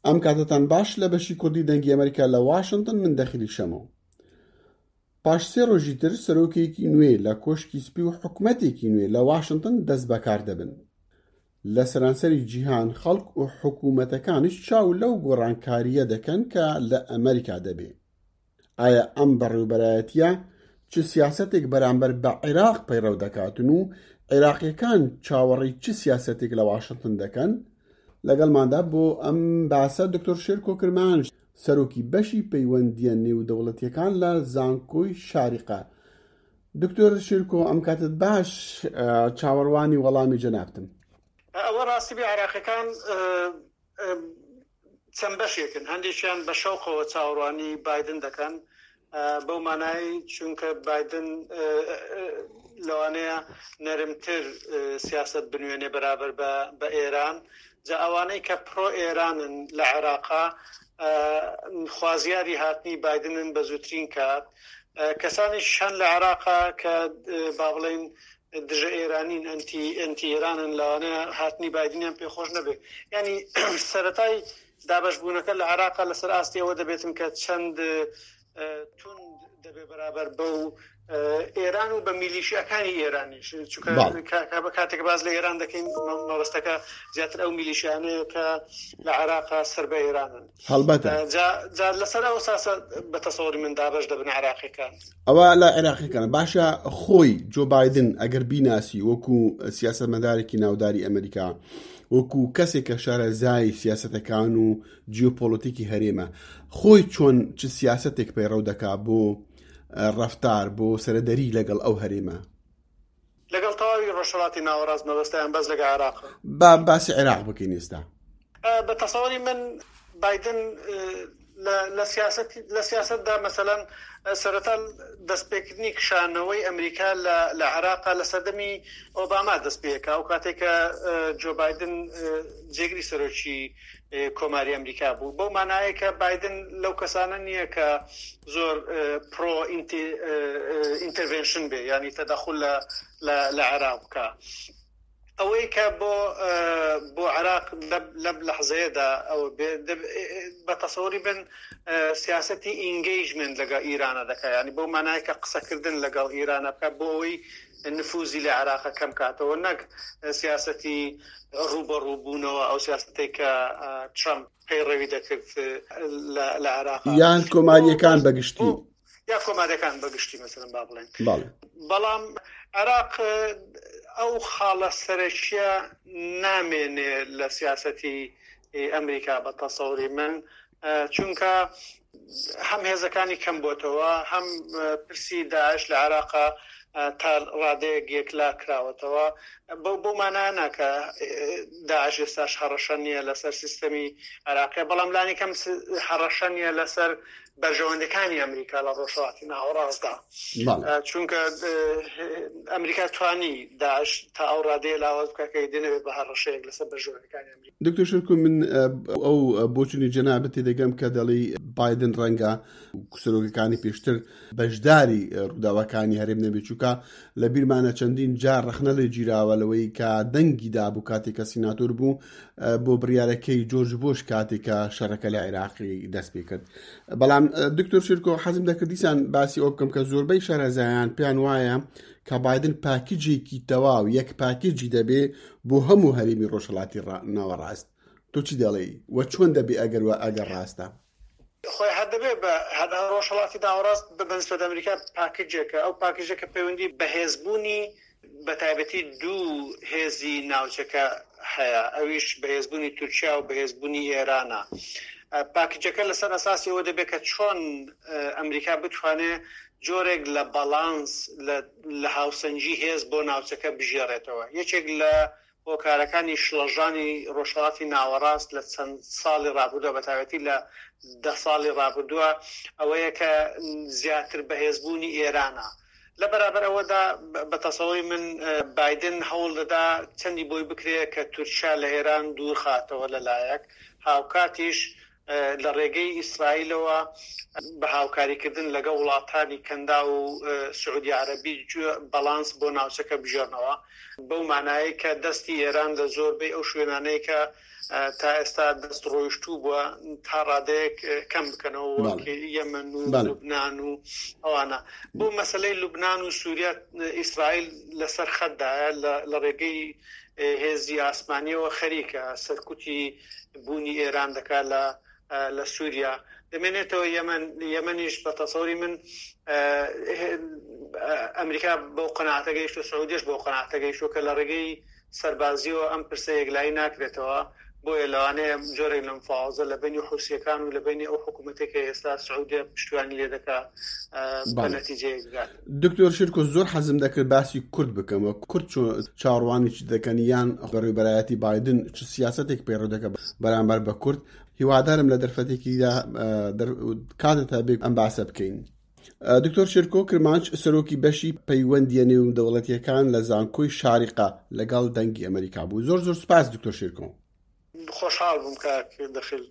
ئەم کاتەتان باش لە بەشی کوردی دەنگی ئەمریکا لە واشنتن من دەخیلی شەمۆ. پاش سێ ڕۆژی تر سەرۆکێکی نوێ لە کۆشکی سپی و حکومەتێکی نوێ لە واشنتن دەست بەکار دەبن. لە سەرانسەری جیهان خەڵک و حکومەتەکانیش چاو لەو گۆڕانکارییە دەکەن کە لە ئەمریکا دەبێ. ئایا ئەم بەڕێوبەرایەتیە چ سیاسەتێک بەرامبەر بە عێراق پەیڕەو دەکاتن و عێراقیەکان چاوەڕێی چ سیاسەتێک لە واشنتن دەکەن؟ لەگەڵماندا بۆ ئەم باسە دکتۆر شێرکۆ کرمانج سەرۆکی بەشی پەیوەندیە نێودەوڵەتیەکان لە زانکۆی شاریقە. دکتۆر شێرکۆ ئەم کاتت باش چاوەڕوانی وەڵامی جەنابتم. ئەوە ڕاستی بێ عێراقیەکان چەند بەشێکن، هەندێکیان بە شەوقەوە چاوەڕوانی بایدن دەکەن، بەو مانای چونکە بایدن لەوانەیە نەرمتر سیاسەت بنوێنێ بەرابەر بە ئێران، جا ئەوانەی کە پرۆ ئێرانن لە عێراقا خوازیاری هاتنی بایدنن بە زووترین کات، کەسانیش هەن لە عێراقا کە با بڵێین دژە ئێرانین، ئەنتی ئەنتی ئێرانن، لەوانەیە هاتنی بایدنیان پێ خۆش نەبێ. یانی سەرەتای دابەشبوونەکە لە عێراقا لەسەر ئاستی ئەوە دەبێتن کە چەند توند دەبێ بەرابەر بەو ئێران و بە میلیشیاکانی ئێرانیش، چونکە کاتێک باس لە ئێران دەکەین مەبەستەکە زیاتر ئەو میلیشیانەیە کە لە عێراقا سەر بە ئێرانن. هەڵبەتە. جا جا لەسەر ئەو ئەساسە بە تەسەوری من دابەش دەبن عێراقیەکان. ئەوە لە عێراقیەکانە باشە خۆی جۆ بایدن ئەگەر بیناسی وەکو سیاسەتمەدارێکی ناوداری ئەمریکا وەکو کەسێک کە شارەزای سیاسەتەکان و جیۆپۆلەتیکی هەرێمە خۆی چۆن چ سیاسەتێک پەیڕەو دەکا بۆ ڕەفتار بۆ سەرەدەری لەگەڵ ئەو هەرێمە؟ لەگەڵ تەواوی ڕۆژهەڵاتی ناوەڕاست مەبەستە یان بەس لەگە عێراق؟ با باسی عێراق بکەین ئێستا. بە تەسەوری من بایدن لە سیاسەت لە سیاسەتدا مەسەلەن سەرەتا دەستپێکردنی کشانەوەی ئەمریکا لە لە عێراقا لە سەردەمی ئۆباما دەست پێکا ئەو کاتێک کە جۆ بایدن جێگری سەرۆکی کۆماری ئەمریکا بوو بەو مانایە کە بایدن لەو کەسانە نییە کە زۆر پرۆ ئینتەرڤێنشن بێ ینی تەدەخول لە لە عێراق بکە ئەوەی کە بۆ بۆ عێراق لەم لەحزەیەدا ئەوە بە تەسەوری بن سیاسەتی ئینگەیجمنت لەگەڵ ئیرانە دەکات ینی بەو مانای کە قسەکردن لەگەڵ ئیرانە بکات بۆ ئەوەی نفوزی لە عێراقە کەم کاتەوە نەک سیاسەتی ڕووبەڕووبوونەوە ئەو سیاسەتەی کە ترەمپ پەیڕەوی دەکرد لە عێراق یان کۆماریەکان بەگشتی یا کۆماریەکان بەگشتی مەسەلەن با بڵێن بەڵام عێراق ئەو خاڵە سەرەکیە نامێنێ لە سیاسەتی ئەمریکا بە تەسەوری من چونکە هەم هێزەکانی کەم بۆتەوە هەم پرسی داعش لە عێراقا تا ڕادەیەک یەکلا کراوەتەوە بەو بەو مانایە نا کە داعش ئێستاش هەڕەشە نییە لەسەر سیستەمی عێراقی بەڵام لانی کەم هەڕەشە نییە لەسەر بەرژەوەندەکانی ئەمریکا لە ڕۆژهەڵاتی ناوەڕاستدا چونکە ئەمریکا توانی داعش تا ئەو ڕادەیە لاواز بکە کە ئیدی نەبێت بە هەڕەشەیەک لەسەر بەرژەوەندەکانی ئەمریکا. دکتۆر شێرکۆ من ئەو بۆچونی جەنابت تێدەگەم کە دەڵێی بایدن ڕەنگە سەرۆکەکانی پێشتر بەشداری ڕووداوەکانی هەرێم نەبێت چووکە لە بیرمانە چەندین جار ڕەخنە لێ گیراوە لەوەی کە دەنگی دابوو کاتێک کە سیناتۆر بوو بۆ بڕیارەکەی جۆرج بۆش کاتێک کە شەڕەکە لە عێراقی دەست پێ کرد بەڵام دکتۆر شێرکۆ حەزم دەکرد دیسان باسی ئەو بکەم کە زۆربەی شارەزایان پێیان وایە کە بایدن پاکیجێکی تەواو یەک پاکیجی دەبێ بۆ هەموو هەرێمی ڕۆژهەڵاتی ناوەڕاست تۆ چی دەڵێی و چۆن دەبێ ئەگەر وە ئەگەر ڕاستە؟ خۆی هەر دەبێ بە هەر ڕۆژهەڵاتی ناوەڕاست بە بەنسبەت ئەمریکا پاکیجێکە ئەو پاکیجە کە پەیوەندی بەهێزبوونی بە تایبەتی دوو هێزی ناوچەکە هەیە ئەویش بەهێزبوونی تورکیا و بەهێزبوونی ئێرانە. پاکیجەکە لەسەر ئەساسی ئەوە دەبێت کە چۆن ئەمریکا بتوانێ جۆرێک لە باڵانس لە هاوسەنگی هێز بۆ ناوچەکە بگێڕێتەوە. یەکێک لە هۆکارەکانی شڵەژانی ڕۆژهەڵاتی ناوەڕاست لە چەند ساڵی ڕابردووە بە تایبەتی لە دە ساڵی ڕابردووە ئەوەیە کە زیاتر بەهێزبوونی ئێرانە. لە بەرابەر ئەوەدا بە تەسەوری من بایدن هەوڵ دەدا چەندی بۆی بکرێ کە تورکیا لە ئێران دوور خاتەوە لە لایەک، هاوکاتیش لە ڕێگەی ئیسرائیلەوە بە هاوکاریکردن لەگەڵ وڵاتانی کەنداو و سعودی عەرەبی بەڵانس بۆ ناوچەکە بگێڕنەوە، بەو مانایەی کە دەستی ئێران لە زۆربەی ئەو شوێنانەی کە. تا ئێستا دەست ڕۆیشتوو بووە تا ڕادەیەک کەم بکەنەوە وەک یەمەن و لوبناان و ئەوانە. بۆ مەسلەی لوبناان و سووریا ئیسرائیل لەسەر خەتدایە لە ڕێگەی هێزی ئاسمانیەوە خەریکە سەرکوتی بوونی ئێران دەکات لە لە سووریا دەمێنێتەوە یەمەن یەمەنیش بە تەسەوری من ئەمریکا بەو قەناعەتە گەیشتووە سعودیەش بەو قەناعەتە گەیشتووە کە لە ڕێگەی سەربازیەوە ئەم پرسە یەکلایی ناکرێتەوە، بۆیە لەوانەیە جۆرێک لە مفاوەزە لە بەینی حوسییەکان و لە بەینی ئەو حکوومەتەی کە ئێستا سعودیە پشتیوانی لێ دەکا بە نەتیجەیەک بگات. دکتۆر شێرکۆ زۆر حەزم دەکرد باسی کورد بکەم و کورد چۆن چاوەڕوانی چ دەکەن یان بەڕێوبەرایەتی بایدن چ سیاسەتێک پەیڕەو دەکات بەرامبەر بە کورد هیوادارم لە دەرفەتێکیدا کاتت هەبێ ئەم باسە بکەین. دکتۆر شێرکۆ کرمانج سەرۆکی بەشی پەیوەندیە نێودەوڵەتیەکان لە زانکۆی شاریقە لەگەڵ دەنگی ئەمەریکا بوو. زۆر زۆر سوپاس دکتۆر شێرکۆ. خۆشحاڵ بووم کاک دەخیل.